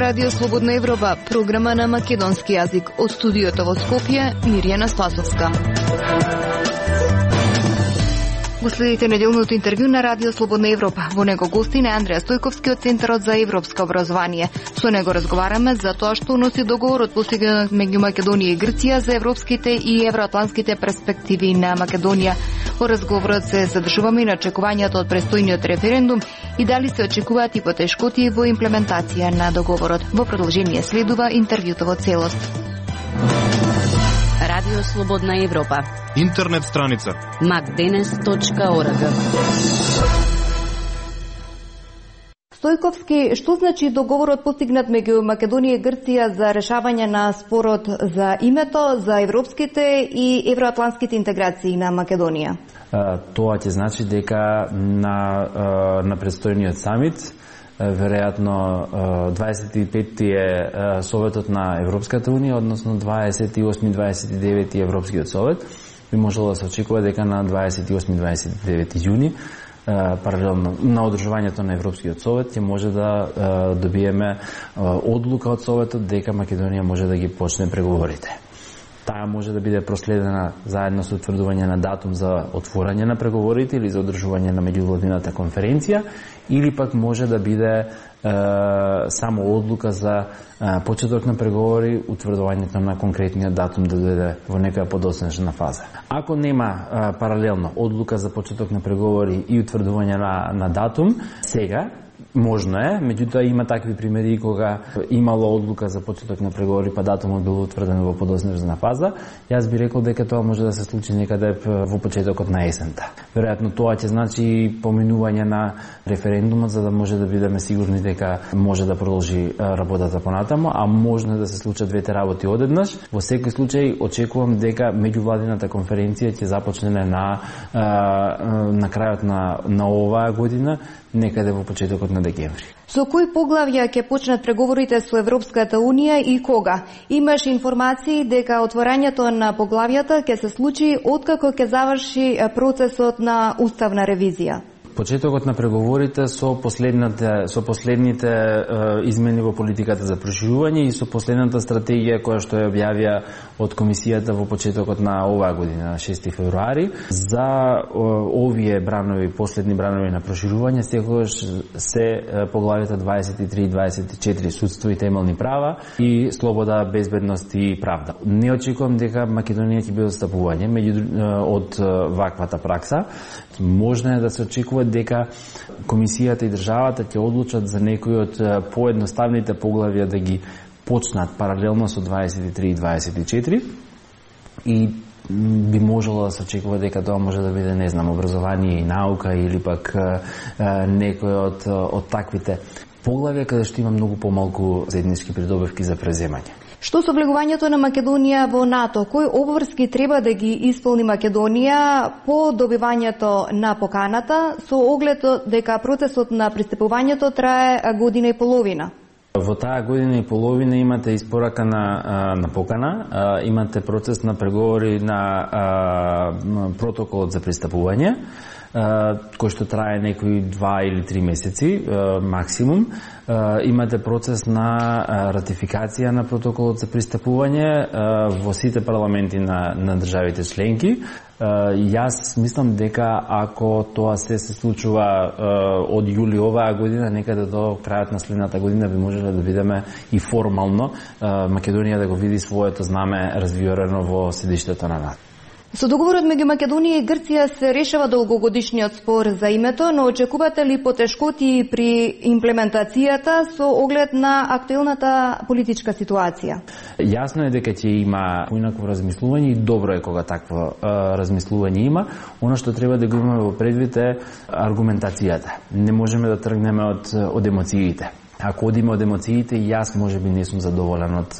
Радио Слободна Европа, програма на македонски јазик. Од студиото во Скопје, Мирјана Спасовска. Го следите неделното интервју на Радио Слободна Европа. Во него гостин е Андреја Стојковски од Центарот за европско образование. Со него разговараме за тоа што носи договорот постигнат меѓу Македонија и Грција за европските и евроатлантските перспективи на Македонија. Во разговорот се задржуваме и на очекувањата од престојниот референдум и дали се очекуваат и потешкоти во имплементација на договорот. Во продолжение следува интервјуто во целост. Радио Слободна Европа. Интернет страница macdenes.org. Стојковски, што значи договорот постигнат меѓу Македонија и Грција за решавање на спорот за името, за европските и евроатлантските интеграции на Македонија? Тоа ќе значи дека на предстојниот самит, веројатно 25-ти е Советот на Европската Унија, односно 28-29 Европскиот совет, би можело да се очекува дека на 28-29 јуни, паралелно на одржувањето на Европскиот совет, ќе може да добиеме одлука од Советот дека Македонија може да ги почне преговорите. Таа може да биде проследена заедно со утврдување на датум за отворање на преговорите или за одржување на меѓувладината конференција, или пак може да биде само одлука за почеток на преговори, утврдувањето на конкретниот датум да дојде во некоја подоцнежна фаза. Ако нема паралелно одлука за почеток на преговори и утврдување на датум, сега можно е, меѓутоа има такви примери кога имало одлука за почеток на преговори, па датумот бил утврден во подоцнежна фаза. Јас би рекол дека тоа може да се случи некаде во почетокот на есента. Веројатно тоа ќе значи поминување на референдумот, за да може да бидеме сигурни дека може да продолжи работата понатаму, а можно да се случат двете работи одеднаш. Во секој случај очекувам дека меѓувладината конференција ќе започне на крајот на оваа година, некаде во почетокот на декември. Со кои поглавја ќе почнат преговорите со Европската Унија и кога? Имаш информации дека отворањето на поглавјата ќе се случи откако ќе заврши процесот на уставна ревизија? Почетокот на преговорите со последните измени во политиката за проширување и со последната стратегија која што ја објавија од комисијата во почетокот на оваа година, на 6 февруари, за овие бранови, последни бранови на проширување, секогаш се поглавите 23 и 24, судство и темелни права и слобода, безбедност и правда. Не очекувам дека Македонија ќе биде отстапување од ваквата пракса. Можно е да се очекува дека комисијата и државата ќе одлучат за некои од поедноставните поглавја да ги почнат паралелно со 23 и 24 и би можело да се очекува дека тоа може да биде, не знам, образование и наука или пак некој од таквите поглавја каде што има многу помалку заеднички придобивки за преземање. Што со влегувањето на Македонија во НАТО? Кои обврски треба да ги исполни Македонија по добивањето на поканата, со оглед дека процесот на пристапувањето трае година и половина? Во таа година и половина имате испорака на покана, имате процес на преговори на протоколот за пристапување, кој што трае некои 2 или 3 месеци максимум. Имате процес на ратификација на протоколот за пристапување во сите парламенти на државите членки. Јас мислам дека ако тоа се случува од јули оваа година, некаде до крајот на следната година би можеле да видиме и формално Македонија да го види своето знаме развиорено во седиштето на НАТО. Со договорот меѓу Македонија и Грција се решава долгогодишниот спор за името, но очекувате ли потешкоти при имплементацијата со оглед на актуелната политичка ситуација? Јасно е дека ќе има поинакво размислување и добро е кога такво размислување има. Она што треба да го имаме во предвид е аргументацијата. Не можеме да тргнеме од емоциите. Ако одиме од емоциите, јас можеби не сум задоволен од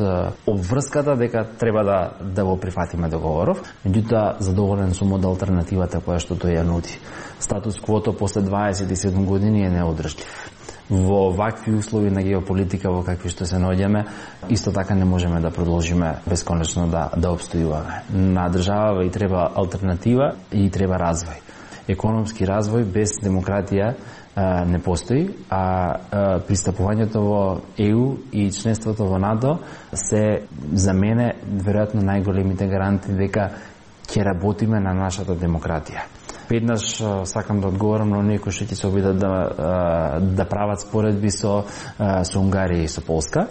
обврската дека треба да го прифатиме договоров, меѓутоа задоволен сум од алтернативата која што тој ја нуди. Статус квото после 27 години е неодржлив. Во вакви услови на геополитика во какви што се наоѓаме, исто така не можеме да продолжиме бесконечно да обстојуваме. На држава и треба алтернатива и треба развој. Економски развој без демократија не постои, а пристапувањето во ЕУ и членството во НАТО се за мене веројатно најголемите гаранти дека ќе работиме на нашата демократија. Веднаш сакам да одговорам на оние кои што ќе се обидат да прават споредби со Унгарија и со Полска.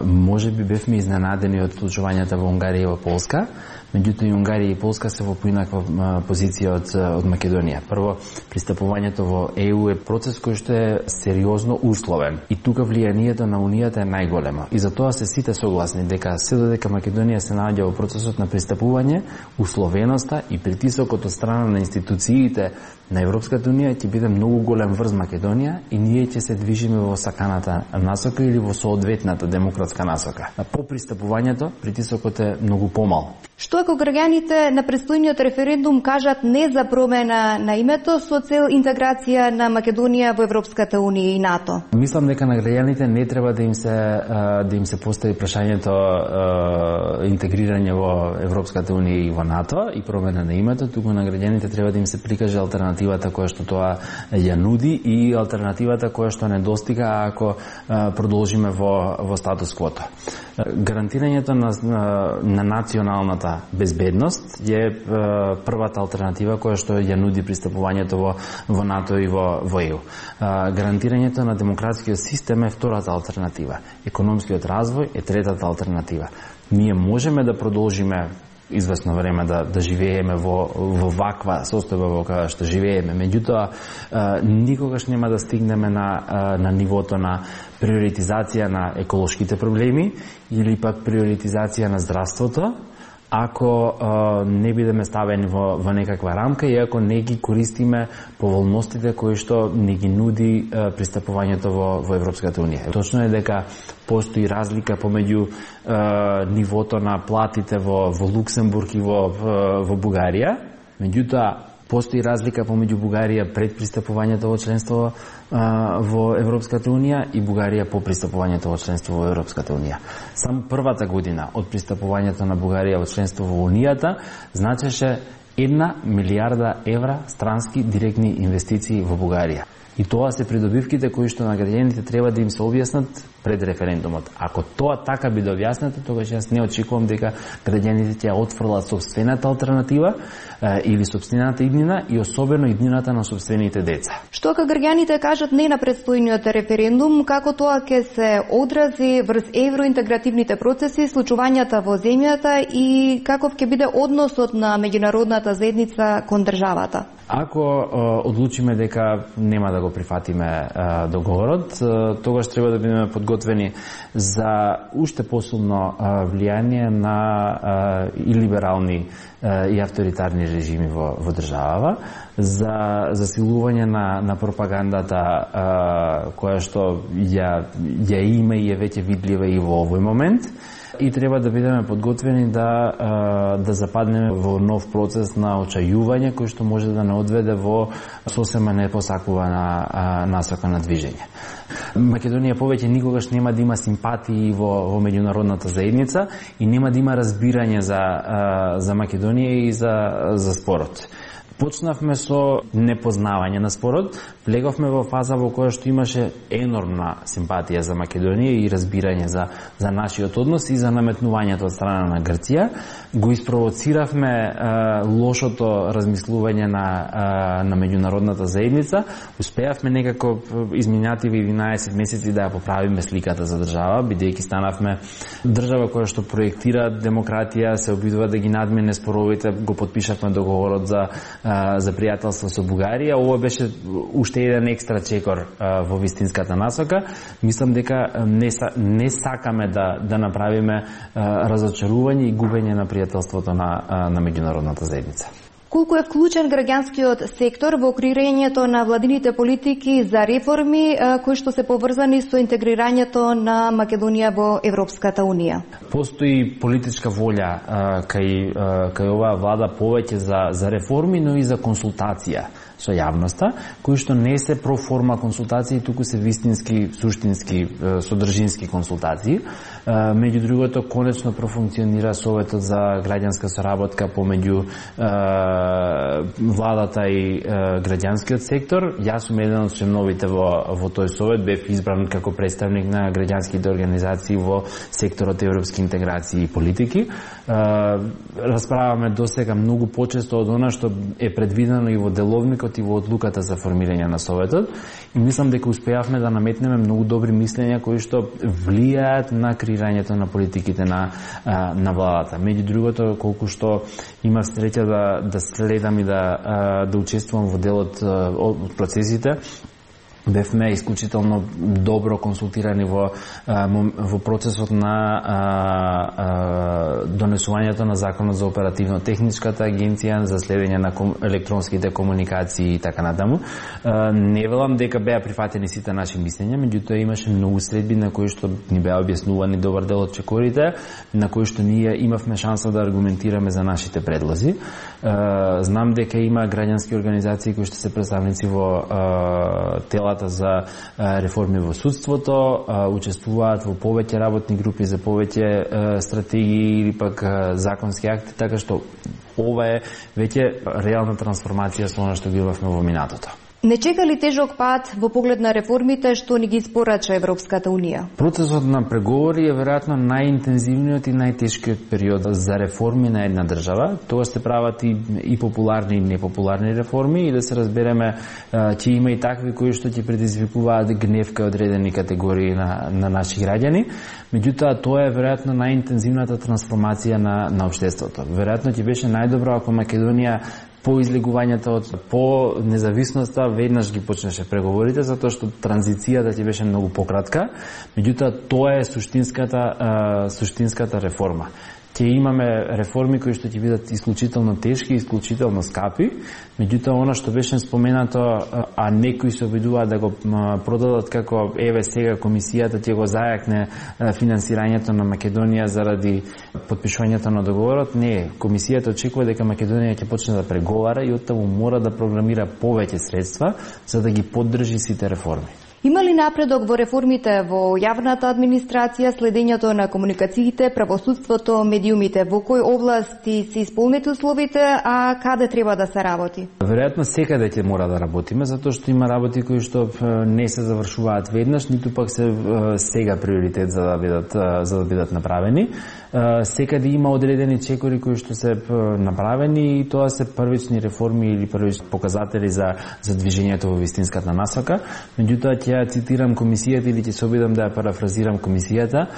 Може би бевме изненадени од случувањата во Унгарија и во Полска, меѓутоа и Унгарија и Полска се во поинаква позиција од Македонија. Прво, пристапувањето во ЕУ е процес кој што е сериозно условен и тука влијанието на Унијата е најголемо. И затоа се сите согласни дека се додека Македонија се наоѓа во процесот на пристапување, условеноста и притисокот од страна на институциите на Европската Унија ќе биде многу голем врз Македонија и ние ќе се движиме во саканата насока или во соодветната демократска насока. По пристапувањето притисокот е многу помал. Што ако граѓаните на предстојниот референдум кажат не за промена на името со цел интеграција на Македонија во Европската Унија и НАТО? Мислам дека на граѓаните не треба да им се постави прашањето интегрирање во Европската Унија и во НАТО и промена на името, туку на граѓаните треба да им се прикаже алтернативата која што тоа ја нуди и алтернативата која што не достига ако продолжиме во статус квото. Гарантирањето на националната безбедност е првата алтернатива која што ја нуди пристапувањето во НАТО и во ЕУ. Гарантирањето на демократскиот систем е втората алтернатива. Економскиот развој е третата алтернатива. Ние можеме да продолжиме известно време да живееме во ваква состојба во која што живееме. Меѓутоа, никогаш нема да стигнеме на нивото на приоритизација на еколошките проблеми или пак приоритизација на здравството, ако не бидеме ставени во некаква рамка и ако не ги користиме поволностите кои што не ги нуди пристапувањето во Европската Унија. Точно е дека постои разлика помеѓу нивото на платите во Луксембург и во Бугарија, меѓутоа постои разлика помеѓу Бугарија пред пристапувањето во членство во Европската Унија и Бугарија по пристапувањето во членство во Европската Унија. Само првата година од пристапувањето на Бугарија во членство во Унијата значеше 1 милијарда евра странски директни инвестиции во Бугарија. И тоа се придобивките кои што на граѓаните треба да им се објаснат пред референдумот. Ако тоа така биде објаснето, тогаш јас не очекувам дека граѓаните ќе отфрлат сопствената алтернатива или сопствената иднина и особено иднината на сопствените деца. Што ако граѓаните кажат не на предстојниот референдум, како тоа ќе се одрази врз евроинтегративните процеси, случувањата во земјата и каков ќе биде односот на меѓународната заедница кон државата? Ако одлучиме дека нема да го прифатиме договорот, тогаш треба да бидеме подготвени за уште посилно влијание на и либерални и авторитарни режими во државава, за засилување на пропагандата која што ја има и е веќе видлива и во овој момент. И треба да бидеме подготвени да западнеме во нов процес на очајување кој што може да не одведе во сосема непосакувана насока на движење. Македонија повеќе никогаш нема да има симпатии во меѓународната заедница и нема да има разбирање за Македонија и за спорот. Почнавме со непознавање на спорот, влеговме во фаза во која што имаше енормна симпатија за Македонија и разбирање за нашиот однос и за наметнувањето од страна на Грција. Го испровоциравме лошото размислување на меѓународната заедница. Успеавме некако изминативи 11 месеци да ја поправиме сликата за држава, бидејќи станавме држава која што проектира демократија, се обидува да ги надмине споровите, го потпишавме договорот за пријателство со Бугарија. Ова беше уште еден екстра чекор во вистинската насока. Мислам дека не сакаме да направиме разочарување и губење на пријателството на меѓународната заедница. Колку е вклучен граѓанскиот сектор во креирањето на владините политики за реформи кои што се поврзани со интегрирањето на Македонија во Европската Унија? Постои политичка волја кај оваа влада повеќе за реформи, но и за консултација со јавноста, кои што не се проформа консултации, туку се вистински, суштински, содржински консултации. Меѓу другото, конечно профункционира Советот за граѓанска соработка помеѓу владата и граѓанскиот сектор. Јас сум еден од членовите во тој совет, бев избран како представник на граѓанските организации во секторот европски интеграции и политики. Расправаме досега многу почесто од она што е предвидено и во деловникот и во одлуката за формирање на советот, и мислам дека успеавме да наметнеме многу добри мислења кои што влијаат на креирањето на политиките на владата. Меѓу другото, колку што имав среќа да следам и да учествувам во делот од процесите, бевме исклучително добро консултирани во процесот на донесувањето на законот за оперативно-техничката агенција за следење на електронските комуникации и така натаму. Не велам дека беа прифатени сите наши мислења, меѓутоа имаше многу средби на кои што ни беа објаснувани добар дел од чекорите, на кои што ние имавме шанса да аргументираме за нашите предлози. Знам дека има граѓански организации кои што се представници во телата за реформи во судството, учествуваат во повеќе работни групи за повеќе стратегии или пак законски акти, така што ова е веќе реална трансформација со она што ги имавме во минатото. Не чека ли тежок пат во поглед на реформите што ни ги испорача Европската Унија? Процесот на преговори е веројатно најинтензивниот и најтешкиот период за реформи на една држава. Тоа се прават и популарни и непопуларни реформи, и да се разбереме, ќе има и такви кои што ќе предизвикуваат гнев кај одредени категории на наши граѓани. Меѓутоа, тоа е веројатно најинтензивната трансформација на општеството. Веројатно ќе беше најдобро ако Македонија по излегувањето по независноста веднаш ги почнеше преговорите, затоа што транзицијата ќе беше многу пократка. Меѓутоа, тоа е суштинската реформа. Ќе имаме реформи кои што ќе бидат исклучително тешки, исклучително скапи, меѓутоа она што беше споменато, а некои се обидуваат да го продадат како еве сега комисијата ќе го зајакне финансирањето на Македонија заради потпишувањето на договорот, не. Комисијата очекува дека Македонија ќе почне да преговара и оттаму мора да програмира повеќе средства за да ги поддржи сите реформи. Има ли напредок во реформите во јавната администрација, следењето на комуникациите, правосудството, медиумите? Во кои области се исполнети условите, а каде треба да се работи? Веројатно секаде ќе мора да работиме, затоа што има работи кои што не се завршуваат веднаш, ниту пак се сега приоритет за да бидат направени. Секаде има одредени чекори кои што се направени и тоа се првични реформи или првични показатели за движењето во вистинската насока. Меѓутоа ќе цитирам комисијата или ќе се обидам да ја парафразирам комисијата.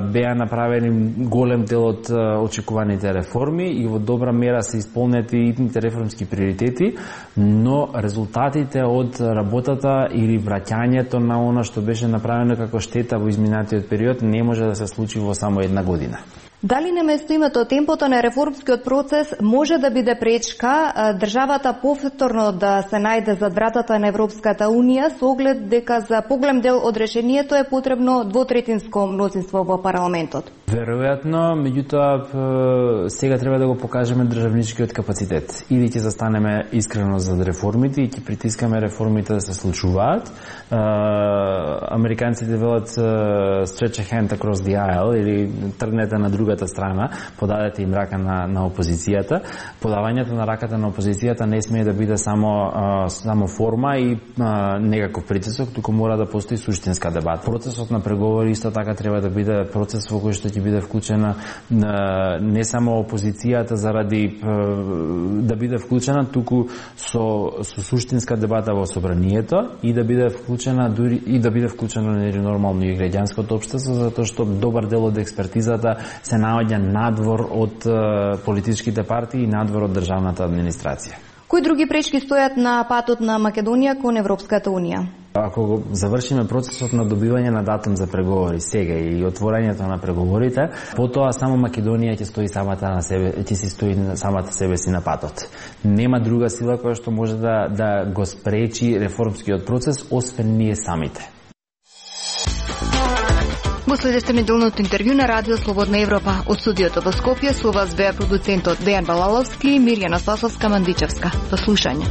Беа направени голем дел од очекуваните реформи и во добра мера се исполнети итните реформски приоритети, но резултатите од работата или враќањето на она што беше направено како штета во изминатиот период не може да се случи во само една година. Дали на место името темпото на реформскиот процес може да биде пречка државата повторно да се најде зад вратата на Европската Унија со оглед дека за поголем дел од решението е потребно двотретинско мнозинство во парламентот? Веројатно, меѓутоа сега треба да го покажеме државничкиот капацитет. Или ќе застанеме искрено зад реформите и ќе притискаме реформите да се случуваат. Американците велат stretch a hand across the aisle, или тргнете на другата страна, подадете им рака на опозицијата. Подавањето на раката на опозицијата не смее да биде само форма и некаков притисок, туку мора да постои суштинска дебата. Процесот на преговори исто така треба да биде процес во кој што ќе биде вклучена не само опозицијата заради да биде вклучена, туку со суштинска дебата во собранието и да биде вклучена дури и да биде вклучено нормално и граѓанското општество, затоа што добар дел од експертизата се наоѓа надвор од политичките партии и надвор од државната администрација. Кои други пречки стојат на патот на Македонија кон Европската Унија? Ако го завршиме процесот на добивање на датум за преговори сега и отворањето на преговорите, потоа само Македонија ќе стои самата себе си на патот. Нема друга сила која што може да го спречи реформскиот процес, освен ние самите. Го следевте неделното интервју на Радио Слободна Европа. Од студиото во Скопје со вас беа продуцентот Дејан Балаловски и Мирјана Спасовска-Мандичевска. До слушање.